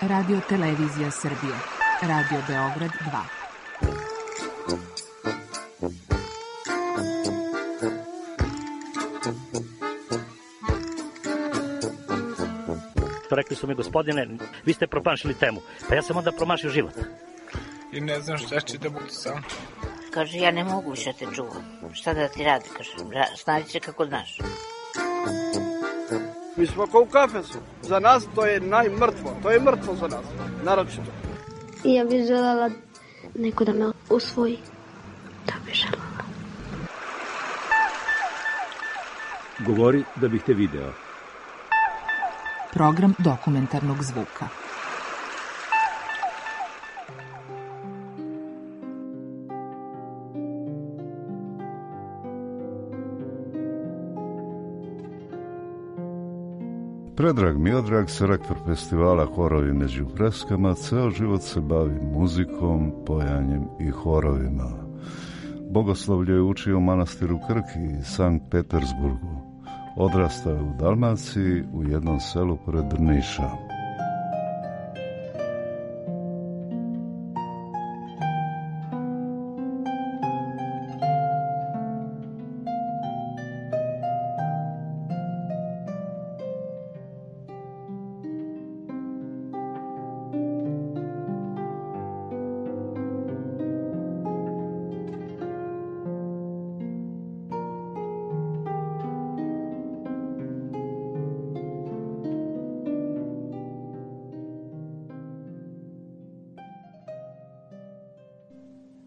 Radio Televizija Srbije. Radio Beograd 2. Rekli su mi, gospodine, vi ste promašili temu. Pa ja sam onda promašio život. I ne znam šta će da bude sam. Kaže, ja ne mogu više te čuvam. Šta da ti radi, kaže, snaći će kako znaš. Mi smo kao u kafesu. Za nas to je najmrtvo. To je mrtvo za nas, naročito. Ja bih želela neko da me usvoji. Da bih želela. Govori da bih te video. Program dokumentarnog zvuka. Predrag Miodrag, selektor festivala Horovi među freskama, ceo život se bavi muzikom, pojanjem i horovima. Bogoslovlje je učio u manastiru Krki i Sankt Petersburgu. Odrastao je u Dalmaciji, u jednom selu pored Niša.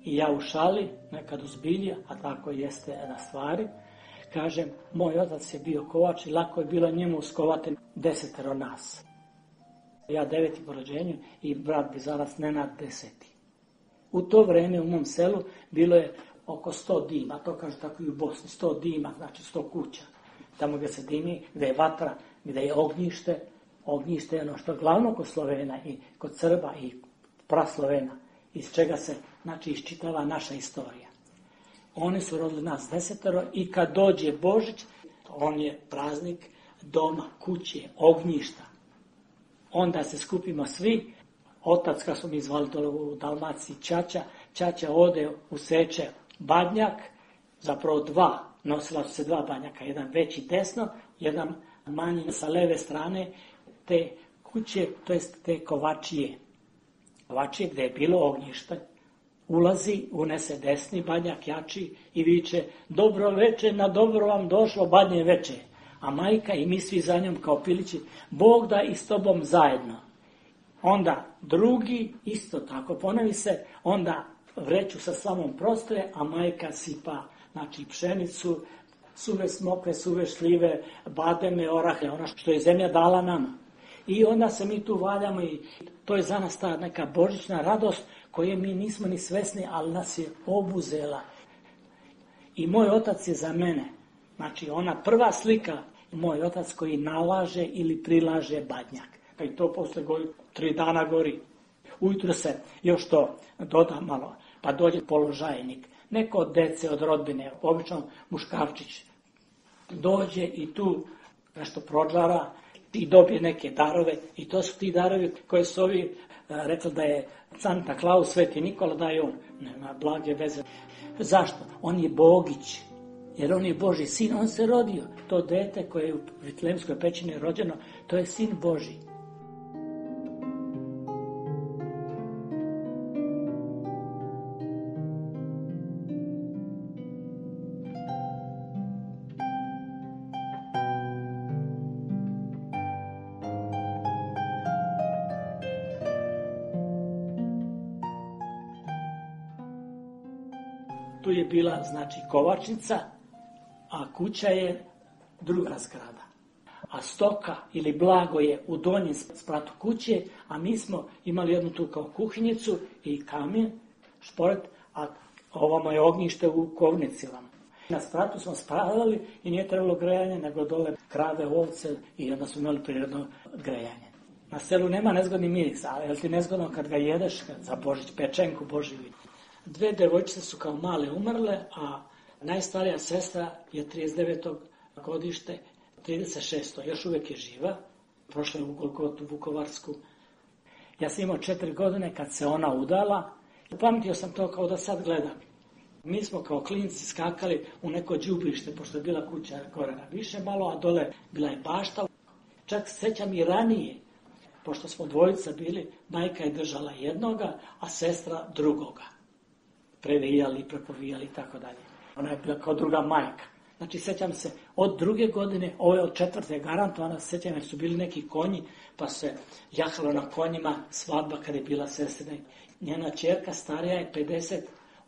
I ja u šali, nekad uzbilja, a tako jeste na stvari, kažem, moj otac je bio kovač i lako je bilo njemu uskovati 10 nas. Ja 9. po rođenju i brat Bizarac Nenad 10. U to vreme u mom selu bilo je oko 100 dima, to kažu tako i u Bosni, 100 dima, znači 100 kuća. Tamo gdje se dimi, gdje je vatra, gdje je ognjište. Ognjište je ono što je glavno kod Slovena i kod Srba i praslovena, iz čega se, znači, iščitava naša istorija. Oni su rodili nas 10 i kad dođe Božić, on je praznik doma, kuće, ognjišta. Onda se skupimo svi, otac, kad smo mi zvali dole u Dalmaciji, Ćaća ode useče badnjak, zapravo 2, nosila su se 2 badnjaka, jedan veći desno, jedan manji sa leve strane, te kuće, to jest te kovačije. Kovačije gdje je bilo ognjište, ulazi, unese desni badnjak jači i viče, dobro veče, na dobro vam došlo badnje veče. A majka i mi svi za njom kao pilići, Bog da i s tobom zajedno. Onda drugi, isto tako ponovi se, onda vreću sa slamom prostoje, a majka sipa, znači, pšenicu, suve smokve, suve šljive, bademe, orahe, ono što je zemlja dala nama. I onda se mi tu valjamo i to je za nas ta neka božićna radost koje mi nismo ni svesni, ali nas je obuzela. I moj otac je za mene, znači ona prva slika, moj otac koji nalaže ili prilaže badnjak. Pa i to posle 3 dana gori. Ujutro se još to doda malo, pa dođe položajnik. Neko od dece, od rodbine, obično muškarčić, dođe i tu nešto prođara i dobije neke darove. I to su ti darovi koje su ovi rekli da je Santa Claus, Sveti Nikola, da je on. Nema blage veze. Zašto? On je Bogić. Jer on je Božji sin, on se rodio. To dete koje je u Vitlemskoj pećini rođeno, to je sin Božji. Tu je bila, znači, kovačnica, a kuća je druga zgrada. A stoka ili blago je u donjem spratu kuće, a mi smo imali jednu tu kao kuhinjicu i kamen, šporet, a ovamo je ognjište u kovnicilama. Na spratu smo spravljali i nije trebalo grejanje, nego dole krave, ovce i onda smo imali prirodno grejanje. Na selu nema nezgodni miris, ali je ti nezgodno kad ga jedeš, za Božić, pečenku Božiju. 2 devojčice su kao male umrle, a najstarija sestra je 39. godište, 36. Još uvijek je živa. Prošla je u Golgotu Vukovarsku. Ja sam imao 4 godine kad se ona udala. Pametio sam to kao da sad gledam. Mi smo kao klinci skakali u neko đubrište, pošto je bila kuća gore na više malo, a dole bila je bašta. Čak sećam i ranije, pošto smo dvojica bili, majka je držala jednoga, a sestra drugoga. Previjali, prepovijali i tako dalje. Ona je bila kao druga majka. Znači, sećam se, od 2. godine, ove od 4. garantovana, sećam jer su bili neki konji, pa se jahalo na konjima, svadba kada je bila sestrina. Njena ćerka starija je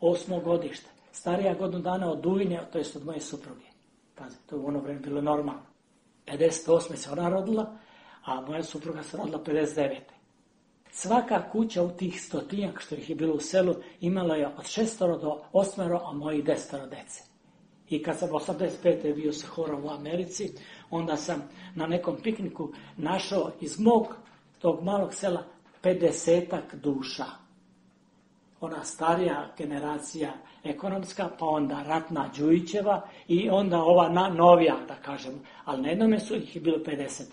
58. godište. Starija godinu dana od Dujine, to je od moje supruge. Pazi, to je u ono vreme bilo normalno. 58. se ona rodila, a moja supruga se rodila 59. Svaka kuća u tih 100-tinjak što ih je bilo u selu imala je od 6 do 8, a moji 10 dece. I kad sam 85. bio sa horom u Americi, onda sam na nekom pikniku našao iz mog tog malog sela 50-ak duša. Ona starija generacija ekonomska, pa onda ratna Đujićeva i onda ova novija, da kažem. Ali na jednome su ih je bilo 50.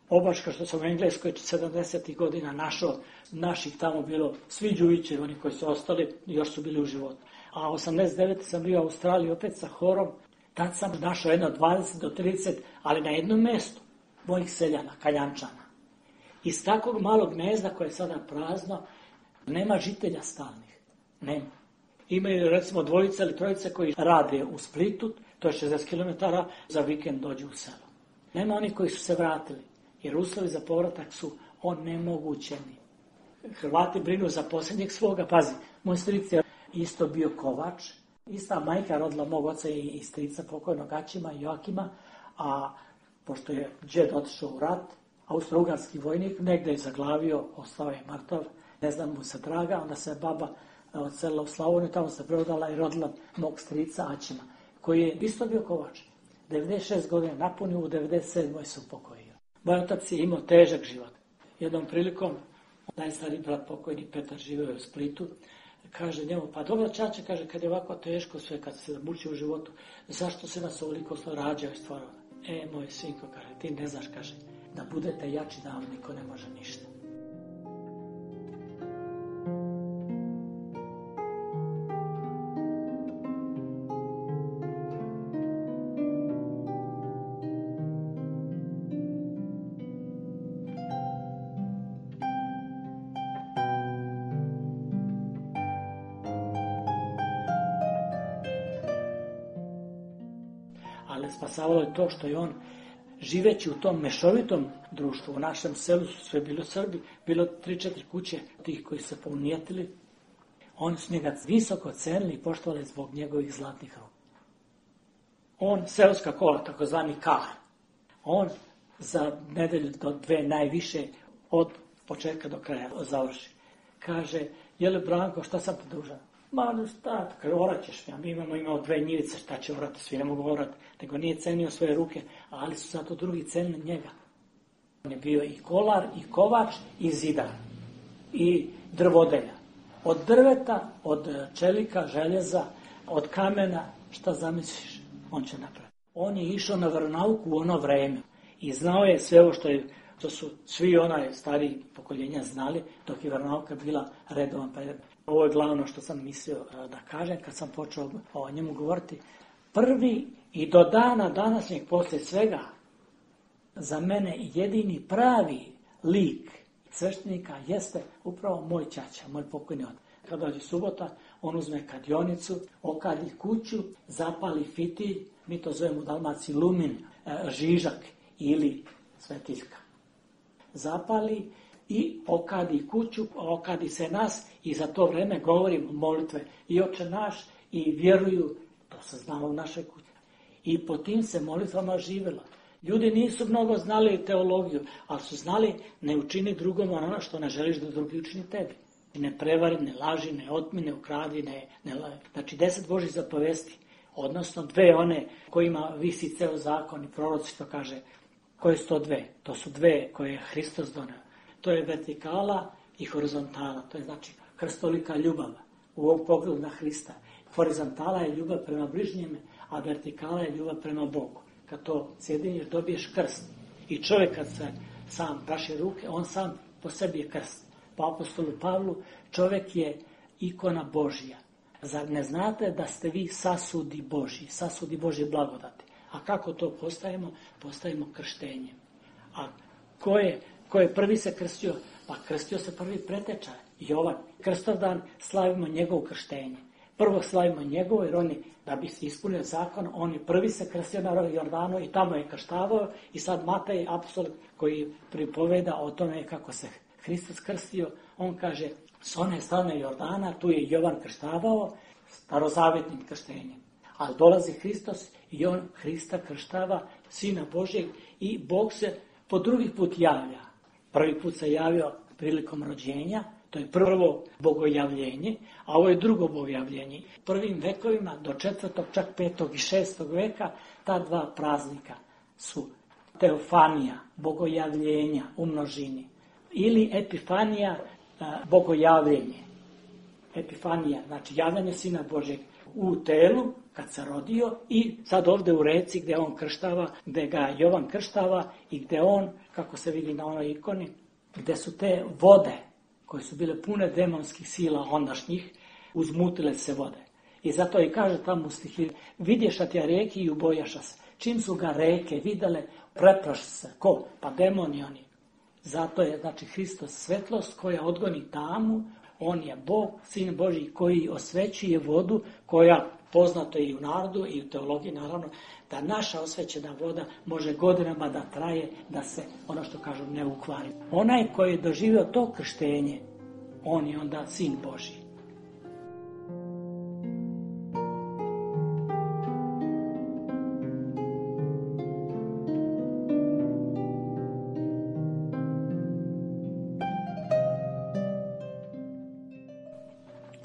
Obaška što sam u Engleskoj 70. godina našao, naših tamo bilo svi Đujićevi, oni koji su ostali, još su bili u životu. A 89. sam bio u Australiji opet sa horom, tad sam našao jedno 20 do 30, ali na jednom mjestu mojih seljana, Kaljančana. Iz takvog malog gnezda koje je sada prazno, nema žitelja stalnih. Nema. Imaju recimo 2 ili 3 koji rade u Splitu, to je 60 km, za vikend dođu u selo. Nema oni koji su se vratili, jer uslovi za povratak su onemogućeni. Hrvati brinu za posljednjeg svoga. Pazi, moj stric je isto bio kovač, ista majka rodila mog oca i strica pokojnog Ačima i Joakima, a pošto je džed otišao u rat, austro-ugarski vojnik, negdje je zaglavio, ostao je mrtav, ne znam mu se draga, onda se baba odselila u Slavoniju, tamo se preudala i rodila mog strica Ačima, koji je isto bio kovač. 96 godina napunio, u 97. se upokojio. Moj otac je imao težak život. Jednom prilikom, najstariji brat pokojni Petar živio u Splitu, kaže njemu, pa dobro čače, kaže, kad je ovako teško sve, kad se muči u životu, zašto se nas ovoliko rađao i stvarao? Moj sinko, kaže, ti ne znaš, kaže, da budete jači da vam niko ne može ništa. Ali spasavalo je to što je on, živeći u tom mešovitom društvu, u našem selu su sve bilo Srbi, bilo 3-4 kuće tih koji se pounijetili, oni su njega visoko cenili i poštovali zbog njegovih zlatnih ruku. On, seoska kola, takozvani kar, on za nedelju do 2 najviše od početka do kraja završi. Kaže, jeli Branko, šta sam ti dužan? Ma šta, kaže, orat ćeš, mi imamo 2 njivice, šta će orati, svi ne mogu orati, nego nije cenio svoje ruke, ali su zato drugi cenili njega. On je bio i kolar, i kovač, i zidar, i drvodelja. Od drveta, od čelika, željeza, od kamena, šta zamisliš, on će napraviti. On je išao na veronauku u ono vreme i znao je sve ovo što su svi onaj stariji pokoljenja znali, dok je veronauka bila redovan predmet. Ovo je glavno što sam mislio da kažem kad sam počeo o njemu govoriti. Prvi i do dana današnjeg poslije svega za mene jedini pravi lik sveštenika jeste upravo moj ćaća, moj pokojni otac. Kad dođe subota, on uzme kadionicu, okadi kuću, zapali fitilj, mi to zovemo u Dalmaciji lumin, žižak ili svetiljka. Zapali i okadi kuću, okadi se nas i za to vreme govorim molitve i Oče naš i vjeruju, to se znalo u našoj kući. I po tim se molitvama živjelo. Ljudi nisu mnogo znali teologiju, ali su znali ne učini drugom ono što ne želiš da drugi učini tebi. Ne prevari, ne laži, ne otmi, ne ukradi, ne laži. Znači 10 Božih zapovesti, odnosno 2 one kojima visi ceo zakon i proroci što kaže. Koje su to 2? To su 2 koje je Hristos doneo. To je vertikala i horizontala. To je znači krstolika ljubav u ovom pogledu na Hrista. Horizontala je ljubav prema bližnjeme, a vertikala je ljubav prema Bogu. Kad to sjediniš, dobiješ krst. I čovjek kad se sam praši ruke, on sam po sebi je krst. po apostolu Pavlu, čovjek je ikona Božja. Zar ne znate da ste vi sasudi Božje blagodati? A kako to postajemo? Postajemo krštenjem. A ko je prvi se krstio? Pa krstio se prvi preteča, Jovan. Krstovdan slavimo njegovo krštenje. Prvo slavimo njegovo, jer oni, da bi se ispunio zakon, on je prvi se krstio na Jordanu i tamo je krštavao. I sad Matej, apostol koji pripoveda o tome kako se Hristos krstio, on kaže, s one strane Jordana, tu je Jovan krštavao starozavjetnim krštenjem. Ali dolazi Hristos i on Hrista krštava, Sina Božjeg, i Bog se po drugi put javlja. Prvi put se javio prilikom rođenja, to je prvo bogojavljenje, a ovo je drugo bogojavljenje. Prvim vekovima do 4., čak 5. i 6. veka ta dva praznika su teofanija, bogojavljenja u množini, ili epifanija, bogojavljenje. Epifanija, znači javljanje Sina Božjeg u telu, kad se rodio, i sad ovdje u reci gdje on krštava, gdje ga Jovan krštava i gdje on, kako se vidi na onoj ikoni, gdje su te vode, koje su bile pune demonskih sila ondašnjih, uzmutile se vode. I zato i kaže tamo u stihi, vidješa tja reki i ubojaša se. Čim su ga reke vidjele, preplaši se. Ko? Pa demoni oni. Zato je, znači, Hristos svetlost koja odgoni tamu, on je Bog, Sin Božji, koji osvećuje vodu, koja, poznato je i u narodu i u teologiji, naravno, da naša osvećena voda može godinama da traje, da se, ono što kažu, ne ukvari. Onaj koji je doživio to krštenje, on je onda Sin Božji.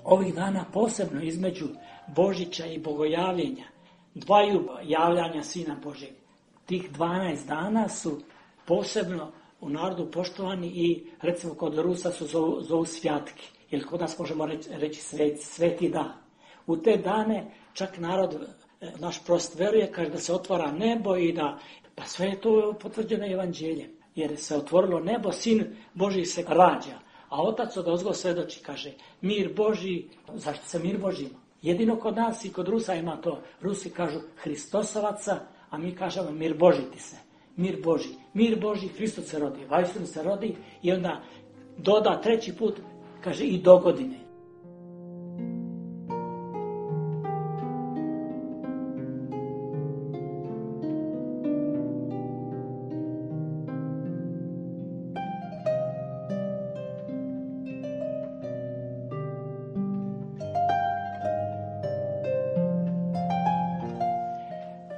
Ovih dana posebno između Božića i bogojavljenja, dvaju javljanja Sina Božjeg, tih 12 dana su posebno u narodu poštovani i recimo kod Rusa su zovu svjatki, ili kod nas možemo reći sveti dan. U te dane čak narod, naš prost veruje, kaže da se otvara nebo i da, pa sve je to potvrđeno evanđeljem, jer se otvorilo nebo, Sin Božji se rađa. A otac od ozgo svedoči, kaže, mir Božji, zašto se mir Božji ima? Jedino kod nas i kod Rusa ima to. Rusi kažu Hristosovaca, a mi kažemo mir Božji ti se. Mir Božji. Mir Božji, Hristos se rodi, vajstinu se rodi i onda doda treći put, kaže i do godine.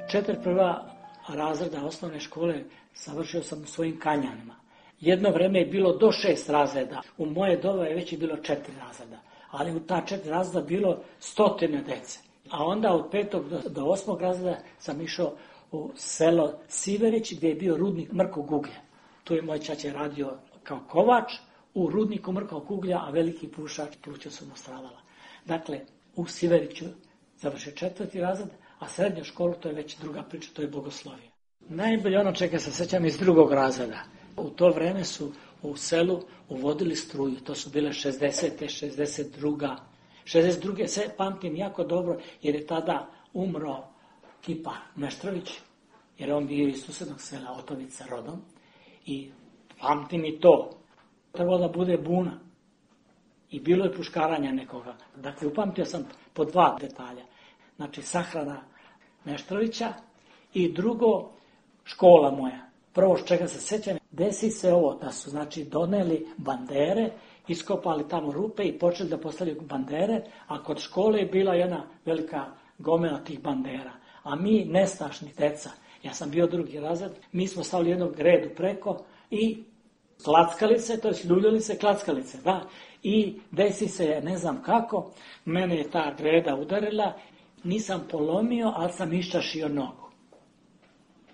Četiri prva razreda osnovne škole završio sam u svojim Kanjanima. Jedno vreme je bilo do 6 razreda. U moje doba je već bilo 4 razreda. Ali u ta 4 razreda bilo 100 djece. A onda od 5. do 8. razreda sam išao u selo Siverić gdje je bio rudnik mrkog uglja. Tu je moj ćaća radio kao kovač u rudniku mrkog uglja, a veliki pušač pluća su mu stradala. Dakle, u Siveriću završio 4. razred, a srednju školu to je već druga priča, to je bogoslovije. Najbolje ono čega se sjećam iz 2. razreda. U to vreme su u selu uvodili struju, to su bile 60. 62. 62. se pamtim jako dobro jer je tada umro kipar Meštrović, jer on bio iz susjednog sela Otovica rodom i pamtim i to. Trebalo da bude buna i bilo je puškaranja nekoga. Dakle, upamtio sam po 2 detalja. Znači, sahrana Meštrovića i drugo, škola moja. Prvo što čega se sjećam, desi se ovo da su, znači, doneli bandere, iskopali tamo rupe i počeli da postavljaju bandere, a kod škole je bila jedna velika gomila tih bandera. A mi, nestašni deca, ja sam bio 2. razred, mi smo stavili jednog redu preko i klackalice, to je ljuljalice, klackalice, da. I desi se, ne znam kako, mene je ta greda udarila, nisam polomio, ali sam iščašio nogu.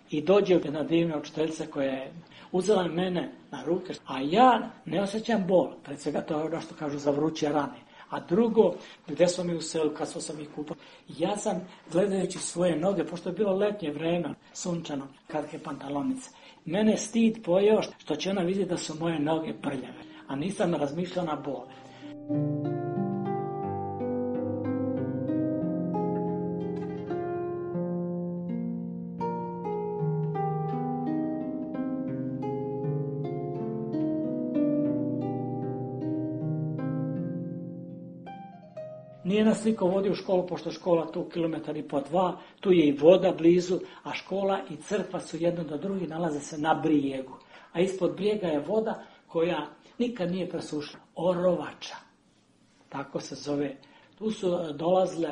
I dođe jedna divna učiteljica koja je uzela mene na ruke, a ja ne osjećam bol. Pred svega to je ono što kažu za vruće rane. A drugo, gdje smo mi u selu, kad sam ih kupao, ja sam gledajući svoje noge, pošto je bilo letnje vreme, sunčano, kratke pantalonice, mene stid pojeo što će ona vidjeti da su moje noge prljave. a nisam razmišljao na bol. Nije nas niko vodio u školu, pošto je škola tu 1,5 kilometra, tu je i voda blizu, a škola i crkva su jedno do drugi, nalaze se na brijegu. A ispod brijega je voda koja nikad nije presušena. Orovača, tako se zove. Tu su dolazile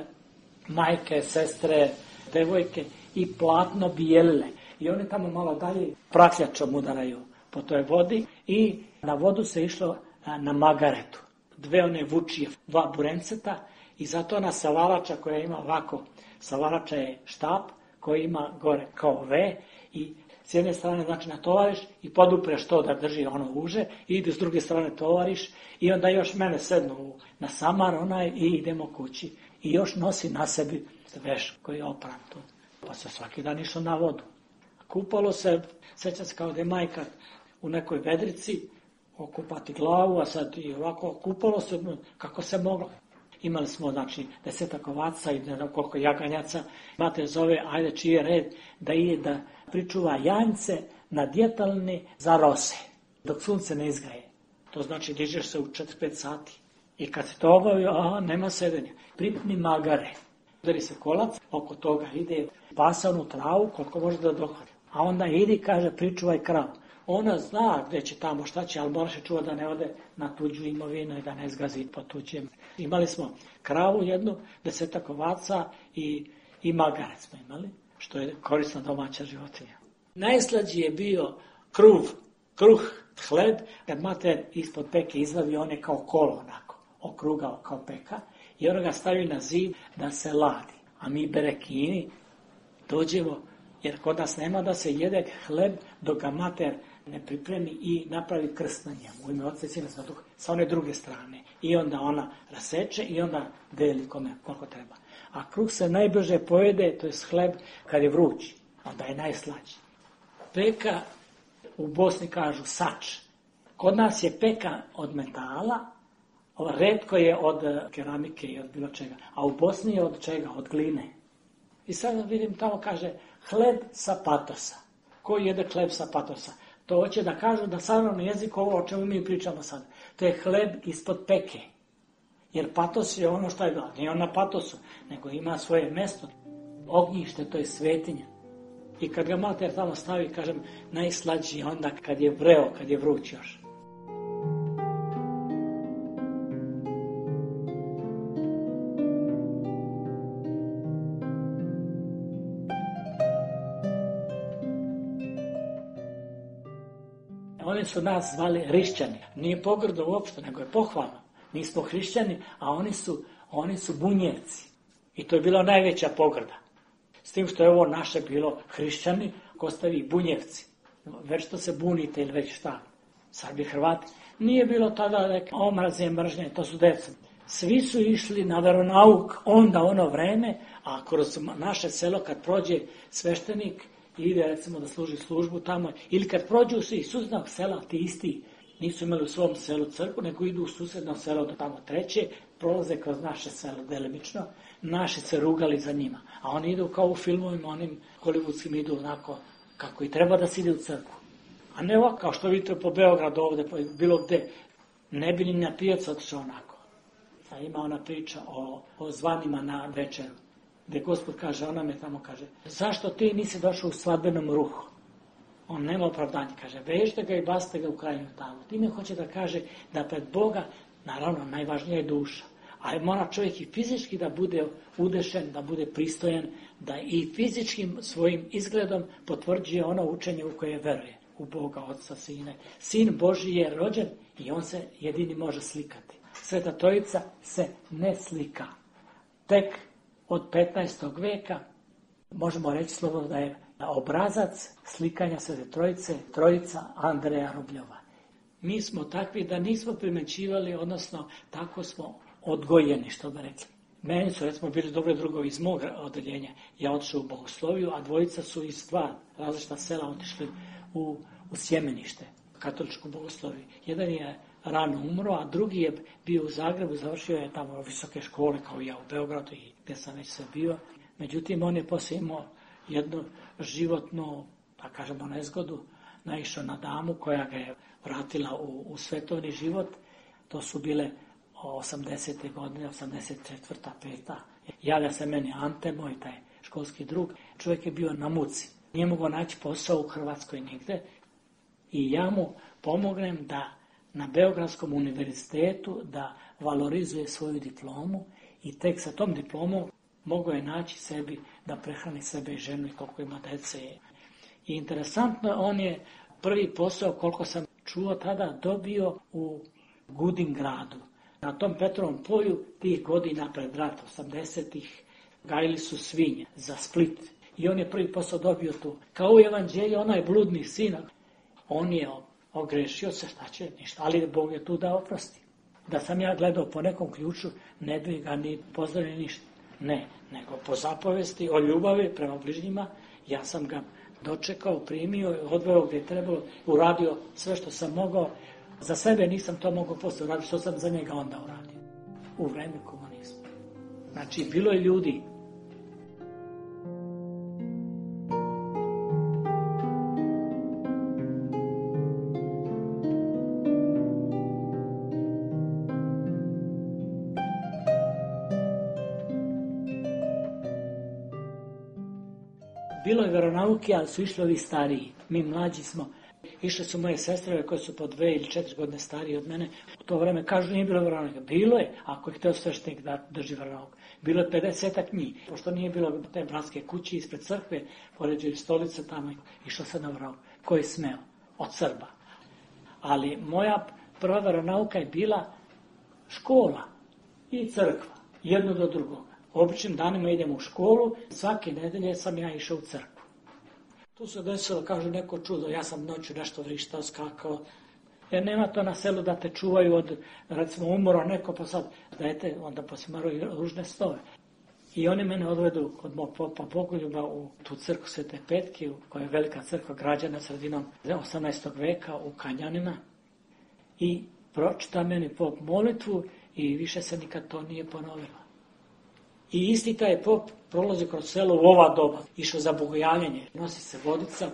majke, sestre, devojke i platno bijelile. I oni tamo malo dalje prakljačom udaraju po toj vodi i na vodu se išlo na magaretu. 2 one vučije, 2 burenceta i zato ona savalača koja ima ovako, savalača je štap koji ima gore kao V i s jedne strane znači natovariš i podupreš to da drži ono uže i ide s druge strane tovariš i onda još mene sednu na samar onaj i idemo kući. I još nosi na sebi veš koji je opran tu. Pa se svaki dan išlo na vodu. Kupalo se, sjećam se kao da je majka u nekoj vedrici, okupati glavu, a sad i ovako kupalo se kako se moglo. Imali smo, znači, 10 ovaca i ne znam koliko jaganjaca. Mater zove, ajde čiji je red, da ide da pričuva janjce na djetalni za rose, dok sunce ne izgraje. To znači dižeš se u 4-5 sati. I kad se to obavio, nema sedenja. Pripni magare. Udari se kolac, oko toga ide pasanu travu koliko može da dohvati. A onda idi, kaže, pričuvaj kravu. Ona zna gdje će tamo, šta će, ali moraš je čuva da ne ode na tuđu imovinu i da ne zgazi po tuđem. Imali smo kravu jednu, 10 ovaca i magare smo imali, što je korisna domaća životinja. Najslađi je bio kruh, hleb, kad mater ispod peke izvavi, on je kao kolo onako, okrugao kao peka i on ga stavi na zid da se ladi. A mi berekini dođemo, jer kod nas nema da se jede hleb dok ga mater ne pripremi i napravi krst na njemu. U ime Otca i Sina i Svetog Duha, sa one druge strane. I onda ona raseče i onda deli kome koliko treba. A kruh se najbrže pojede, to je hleb, kad je vruć. Onda je najslađi. Peka, u Bosni kažu sač. Kod nas je peka od metala, retko je od keramike i od bilo čega. A u Bosni je od čega? Od gline. I sad vidim tamo kaže hleb sa patosa. Ko jede hleb sa patosa? To hoće da kažu da savremeni jezik ovo o čemu mi pričamo sad. To je hleb ispod peke. Jer patos je ono što je bilo. Nije on na patosu, nego ima svoje mjesto. Ognjište, to je svetinja. I kad ga mater tamo stavi, kažem, najslađi onda kad je vreo, kad je vruć još. Oni su nas zvali hrišćani. Nije pogrdo uopšte, nego je pohvalno. Mi smo hrišćani, a oni su bunjevci. I to je bila najveća pogrda. S tim što je ovo naše bilo hrišćani, ko stavi bunjevci. Već što se bunite ili već šta. Sad bi Hrvati. Nije bilo tada omraze, mržnje, to su deca. Svi su išli na veronauk onda ono vreme, a kroz naše selo kad prođe sveštenik, ide recimo da služi službu tamo, ili kad prođu svi iz susjednog sela, ti isti nisu imali u svom selu crkvu, nego idu u susjedno selo do tamo treće, prolaze kroz naše selo delimično, naši se rugali za njima. A oni idu kao u filmovima, onim hollywoodskim idu onako kako i treba da se ide u crkvu. A ne ovako, kao što vidite po Beogradu ovdje, bilo gde, ne bi ni na pijac otišao onako. A ima ona priča o zvanima na večeru, gdje Gospod kaže, ona me tamo kaže, zašto ti nisi došao u svadbenom ruhu? On nema opravdanja, kaže, vežite ga i bacite ga u krajnju tavu. Time hoće da kaže da pred Boga, naravno, najvažnija je duša. Ali mora čovjek i fizički da bude udešen, da bude pristojan, da i fizičkim svojim izgledom potvrđuje ono učenje u koje veruje. U Boga, Otca, Sine. Sin Božji je rođen i on se jedini može slikati. Sveta Trojica se ne slika. Tek od 15. veka možemo reći slobodno da je obrazac slikanja Svete Trojice, Trojica Andreja Rubljova. Mi smo takvi da nismo primećivali, odnosno tako smo odgojeni, što bi rekli. Meni su, recimo, bili dobri drugovi iz mog odeljenja. Ja otišao u Bogosloviju, a dvojica su iz dva različita sela otišli u Sjemenište, katoličku Bogosloviju. Jedan je rano umro, a drugi je bio u Zagrebu, završio je tamo visoke škole kao i ja u Beogradu i gdje sam već sve bio. Međutim, on je poslije imao jednu životnu, da kažemo, nezgodu, naišao na damu koja ga je vratila u svetovni život. To su bile 80. godine, 84. 5. Javlja se meni Ante, moj taj školski drug. Čovjek je bio na muci. Nije mogao naći posao u Hrvatskoj nigde. I ja mu pomognem da na Beogradskom univerzitetu da valorizuje svoju diplomu i tek sa tom diplomom mogao je naći sebi da prehrani sebe i ženu i koliko ima dece. I interesantno, on je prvi posao, koliko sam čuo tada, dobio u Gudingradu. Na tom Petrovom polju tih godina pred rat, 80-ih, gajili su svinje za Split. I on je prvi posao dobio tu. Kao u evanđelju, onaj bludni sin, on je ogrešio se, šta će, ništa, ali Bog je tu da oprosti. Da sam ja gledao po nekom ključu, ne bi ga ni pozdravio ništa. Ne, nego po zapovesti o ljubavi prema bližnjima, ja sam ga dočekao, primio, odveo gdje je trebalo, uradio sve što sam mogao. Za sebe nisam to mogao poslije uraditi, što sam za njega onda uradio. U vreme komunizma. Znači, bilo je ljudi. Bilo je veronauke, ali su išli ovi stariji. Mi mlađi smo. Išle su moje sestre koje su po 2 ili 4 godine starije od mene. U to vreme kažu nije bilo veronauke. Bilo je, ako je htio sveštenik da drži veronauke. Bilo je 50-ak njih. Pošto nije bilo te bratske kuće ispred crkve, poređaju stolice tamo, išlo se na veronauke. Ko je smeo? Od Srba. Ali moja prva veronauka je bila škola i crkva. Jedno do drugoga. Običnim danima idem u školu, svake nedelje sam ja išao u crkvu. Tu se desilo, kažu, neko čudo, ja sam noću nešto vrištao, skakao. Jer nema to na selu da te čuvaju od, recimo, umora neko, pa sad dajte, onda posimaraju ružne stove. I oni mene odvedu kod mog popa Bogoljuba u tu crkvu Svete Petke, koja je velika crkva građana sredinom 18. veka u Kanjanima. I pročita meni pop molitvu i više se nikad to nije ponovilo. I isti taj pop prolazi kroz selo u ova doba. Išao za bogojavljanje. Nosi se vodica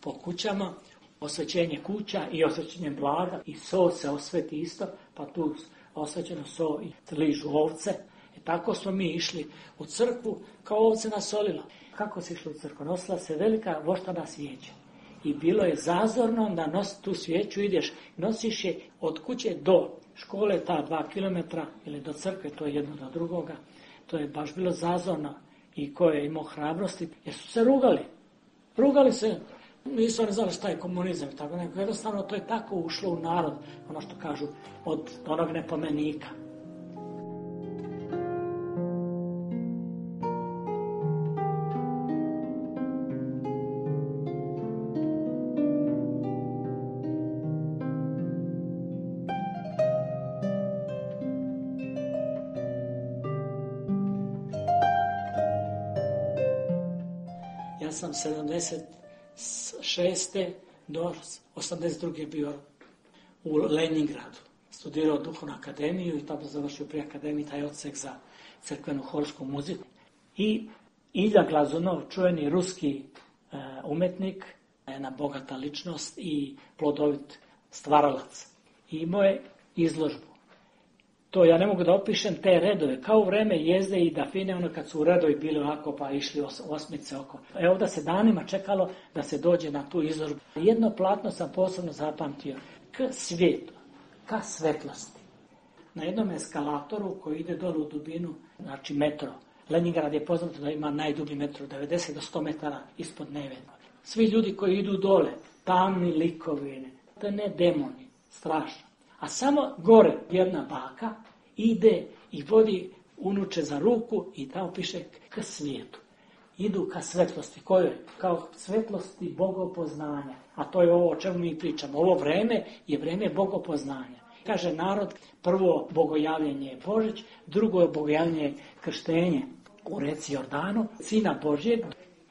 po kućama, osvećenje kuća i osvećenje blaga. I so se osveti isto, pa tu osvećeno so i ližu ovce. I tako smo mi išli u crkvu kao ovce na solilo. Kako se išlo u crkvu? Nosila se velika voštana svijeća. I bilo je zazorno da nosi tu svijeću, ideš, nosiš je od kuće do škole, ta 2 kilometra, ili do crkve, to je jedno do drugoga. To je baš bilo zazorno i ko je imao hrabrosti, jer su se rugali. Rugali se, nisu oni znali šta je komunizam. Tako nego, jednostavno to je tako ušlo u narod, ono što kažu, od onog nepomenika. Ja sam 76. do 82. bio u Leningradu. Studirao duhovnu akademiju i tamo završio pri akademiji taj odsek za crkvenu horsku muziku. I Ilja Glazunov, čuveni ruski umetnik, jedna bogata ličnost i plodovit stvaralac. I imao je izložbu. To ja ne mogu da opišem te redove, kao u vreme Jezde i Dafine, ono kad su u redovi bili ovako pa išli osmice oko. Evo da se danima čekalo da se dođe na tu izložbu. Jedno platno sam posebno zapamtio, k svijetu, ka svetlosti. Na jednom eskalatoru koji ide dole u dubinu, znači metro. Leningrad je poznato da ima najdublji metro, 90 do 100 metara ispod Nevena. Svi ljudi koji idu dole, tamni likovi, to ne demoni, strašno. A samo gore jedna baka ide i vodi unuče za ruku i tamo piše k svijetu. Idu ka svetlosti. Kojoj? Kao svetlosti bogopoznanja. A to je ovo o čemu mi pričamo. Ovo vreme je vreme bogopoznanja. Kaže narod, prvo bogojavljenje je Božić, drugo je bogojavljenje je krštenje u reci Jordanu, Sina Božjeg.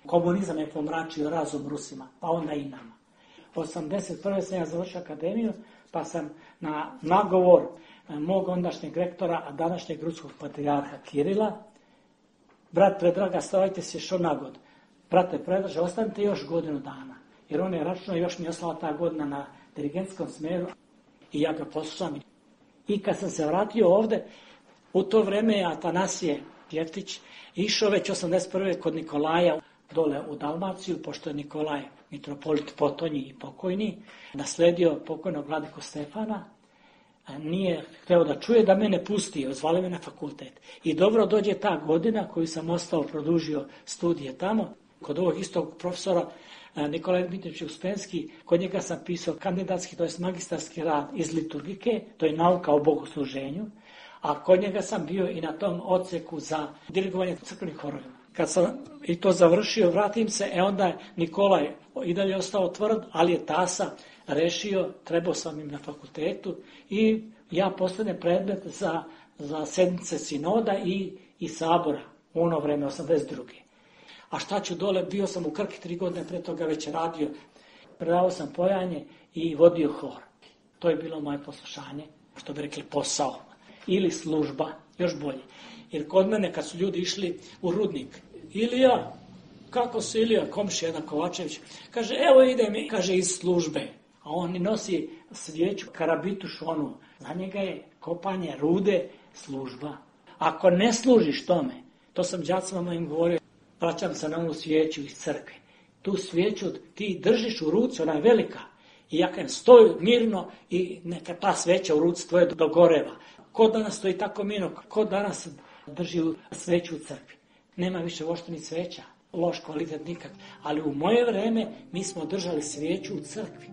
Komunizam je pomračio razum Rusima, pa onda i nama. 81. sam ja završio akademiju, pa sam na nagovor mog ondašnjeg rektora, a današnjeg ruskog patrijarha Kirila, brat Predraga, stavajte se što na god. Brate Predraže, ostanite još godinu dana. Jer on je računao, još mi je ostala ta godina na dirigentskom smeru i ja ga poslušam. I kad sam se vratio ovde, u to vreme je Atanasije Jeftić išao već 81. kod Nikolaja dole u Dalmaciju, pošto je Nikolaj mitropolit Potonji i pokojni, nasledio pokojnog vladiku Stefana, nije hteo da čuje da mene pusti, zvali me na fakultet. I dobro dođe ta godina koju sam ostao, produžio studije tamo, kod ovog istog profesora Nikolaj Dmitrijević Uspenski, kod njega sam pisao kandidatski, to je magistarski rad iz liturgike, to je nauka o bogosluženju, a kod njega sam bio i na tom odseku za dirigovanje crkvenih horovima. Kad sam i to završio, vratim se, onda je Nikolaj i dalje ostao tvrd, ali je tasa rešio, trebao sam im na fakultetu i ja postanem predmet za sedmice sinoda i sabora u ono vreme, 82. A šta ću dole, bio sam u Krki 3 godine, pre toga već radio, predavao sam pojanje i vodio hor. To je bilo moje poslušanje, što bi rekli posao, ili služba, još bolje. Jer kod mene kad su ljudi išli u rudnik, Ilija, kako se Ilija, komšija jedan Kovačević, kaže evo idem, kaže iz službe, a on nosi svijeću, karabituš onu, za njega je kopanje rude služba. Ako ne služiš tome, to sam đacima mojim govorio, vraćam se na onu svijeću iz crkve. Tu svijeću ti držiš u ruci, ona je velika. I ja kažem, stoj mirno i neka ta sveća u ruci tvoje dogoreva. Ko danas stoji tako mirno, ko danas drži sveću u crkvi? Nema više uopšte ni sveća, loš kvalitet nikak. Ali u moje vreme mi smo držali svijeću u crkvi.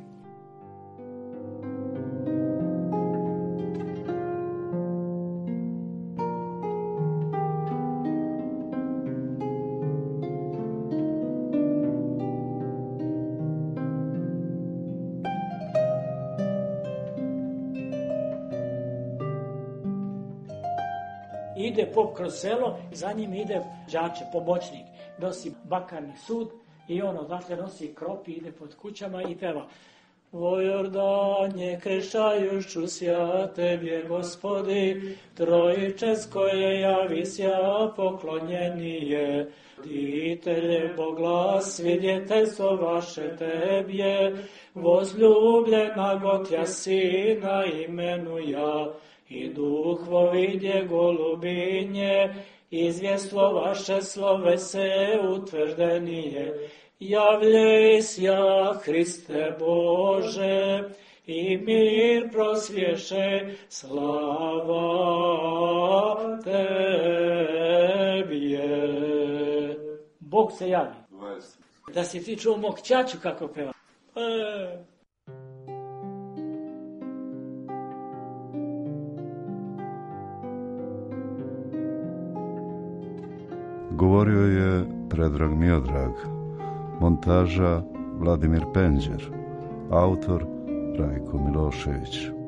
Ide pop kroz selo, za njim ide đače, pomoćnik, nosi bakarni sud i on odatle nosi krop i ide pod kućama i peva. O Jordanje, krešajuću sja tebje, Gospodi, trojičes koje javisja poklonjenije. Ditelje Boglas, vidjeteljstvo vaše tebje, vozljubljena gotja sina imenuja. I duhvo vidje golubinje, izvjestvo vaše slove se utvrdenije. Javljej sja, Hriste Bože, i mir prosvješe, slava Tebje. Bog se javi. Da si ti čuo mog ćaću kako peva. Govorio je Predrag Miodrag, montaža Vladimir Penđer, autor Rajko Milošević.